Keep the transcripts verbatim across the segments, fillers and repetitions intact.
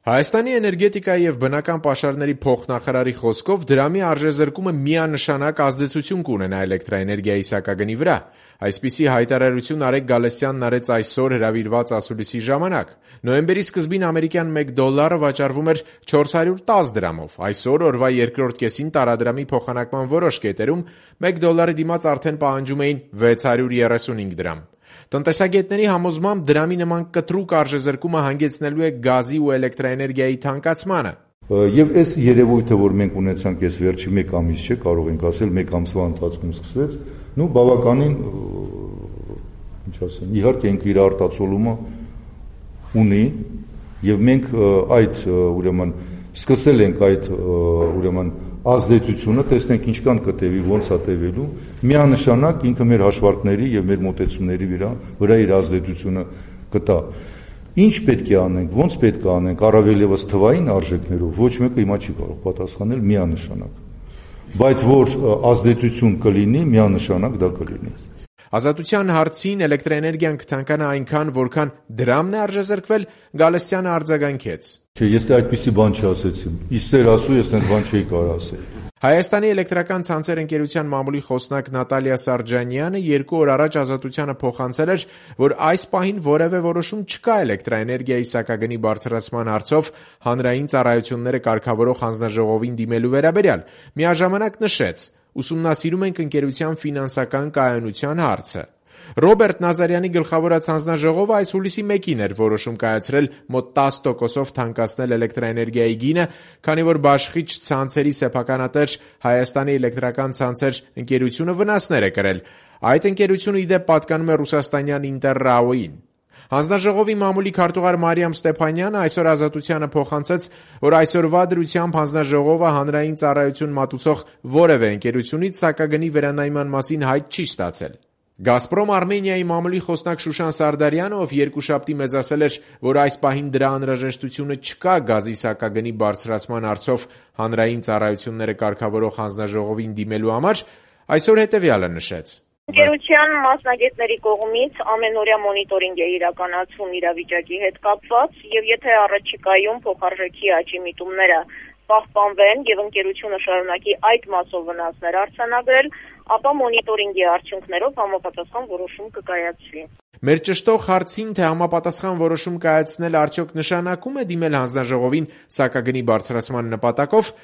Հայաստանի էներգետիկայի և բնական պաշարների փոխնախարարի խոսքով դրամի արժեզրկումը միանշանակ ազդեցություն կունենա էլեկտրաէներգիայի սակագնի վրա։ Այսպիսի հայտարարություն Արեգ Գալստյանն արեց այսօր հրավիրված ասուլիսի ժամանակ։ Նոյեմբերի սկզբին ամերիկյան մեկ դոլարը վաճառվում էր չորս հարյուր տասը դրամով։ Այսօր օրվա երկրորդ կեսին տարադրամի փոխանակման որոշ կետերում մեկ դոլարի դիմաց արդեն պահանջում էին վեց հարյուր երեսունհինգ դրամ։ Տնտեսագետների համոզմամբ դրամի նման կտրուկ արժեզրկումը հանգեցնելու է գազի ու էլեկտրաէներգիայի թանկացմանը։ Եվ այս երևույթը, որ մենք ունեցանք այս վերջի մեկ ամիս, չէ, կարող ենք ասել, մեկ ամսվա ընթացքում սկսվեց, նու բավականին, ինչ ասեմ, իհարկե ինքը իր արտացոլումը ունի, եւ մենք այդ ուրեմն սկսել ենք այդ ուրեմն ազդեցությունը, տեսնենք ինչքան կտևի, ոնց է տևելու, միանշանակ ինքը մեր հաշվարկների եւ մեր մոտեցումների վրա վրա իր ազդեցությունը կտա։ Ինչ պետք է անենք, ոնց պետք է անենք, առավել եւս թվային արժեքներով, ոչ մեկը հիմա չի կարող պատասխանել միանշանակ։ Բայց որ ազդեցություն կլինի, միանշանակ դա կլինի։ Ազատության հարցին էլեկտրաէներգիան կթանկանա այնքան, որքան դրամն է արժեզրկվել, Գալստյանը արձագանքեց. Ես դե այդպիսի բան չասեցի։ Իսեր ասու, ես այդ բան չէի կարող ասել։ Հայաստանի էլեկտրական ցանցեր ընկերության մամուլի խոսնակ Նատալիա Սարջանյանը երկու օր առաջ Ազատությանը փոխանցել էր, որ այս պահին որևէ որոշում չկա էլեկտրաէներգիայի սակագնի բարձրացման հարցով հանրային ծառայությունները կարգավորող հանձնաժողովին դիմելու վերաբերյալ։ Միաժամանակ նշեց. ուսումնասիրում ենք ընկերության ֆինանսական կայունության հարցը։ Ռոբերտ Նազարյանի գլխավորած հանձնաժողովը այս հուլիսի մեկին էր որոշում կայացրել մոտ տասը տոկոսով թանկացնել էլեկտրաէներգիայի գինը, քանի որ բաշխիչ ցանցերի սեփականատեր Հայաստանի էլեկտրական ցանցեր ընկերությունը վնասներ է կրել։ Այդ ընկերությունը ի դեպ պատկանում է ռուսաստանյան Ինտերրաոյին։ Հանձնաժողովի մամուլի քարտուղար Մարիամ Ստեփանյանը այսօր Ազատությանը փոխանցեց, որ այսօրվա դրությամբ հանձնաժողովը հանրային ծառայություն մատուցող որևէ ընկերությունից սակագնի վերանայման մասին հայտ չի ստացել։ Գազպրոմ Արմենիայի մամուլի խոսնակ Շուշան Սարդարյանը, ով երկուշաբթի մեզ ասել էր, որ այս պահին դրա անհրաժեշտությունը չկա գազի սակագնի բարձրացման հարցով հանրային ծառայությունները կարգավորող հանձնաժողովին դիմելու համար, այսօր հետևյալը նշեց. Ընկերության մասնագետների կողմից ամենօրյա մոնիտորինգ է իրականացվում իրավիճակի հետ կապված եւ եթե առաջիկայում փոխարժեքի աճի միտումները պահպանվեն եւ ընկերությունը շարունակի այդ մասով վնասներ արձանագրել, ապա մոնիտորինգի արդյունքներով համապատասխան որոշում կկայացվի։ Մեր ճշտող հարցին, թե համապատասխան որոշում կայացնել արդյոք նշանակում է դիմել հանձնաժողովին սակագնի բարձրացման նպատակով,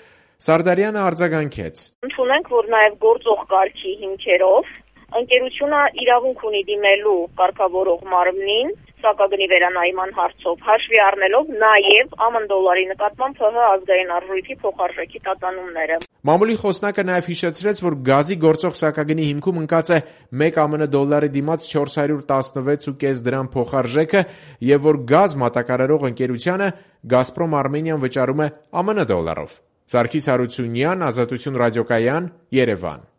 Սարդարյանը արձագանքեց. Ընդունենք, որ նաեւ գործող կարգի հիմքերով ընկերությունը իրավունք ունի դիմելու կարգավորող մարմնին սակագնի վերանայման հարցով, հաշվի առնելով նաև ԱՄ դոլարի նկատմամբ ՀՀ ազգային արժույթի փոխարժեքի տատանումները։ Մամուլի խոսնակը նաև հիշեցրեց, որ գազի գործող սակագնի հիմքում ընկած է մեկ ԱՄ դոլարի դիմաց չորս հարյուր տասնվեց կόμμα պենս դրամ փոխարժեքը եւ որ գազ մատակարարող ընկերությանը Գազպրոմ Արմենիան վճարում է ԱՄ դոլարով։ Սարգիս Հարությունյան, Ազատություն ռադիոկայան, Երևան։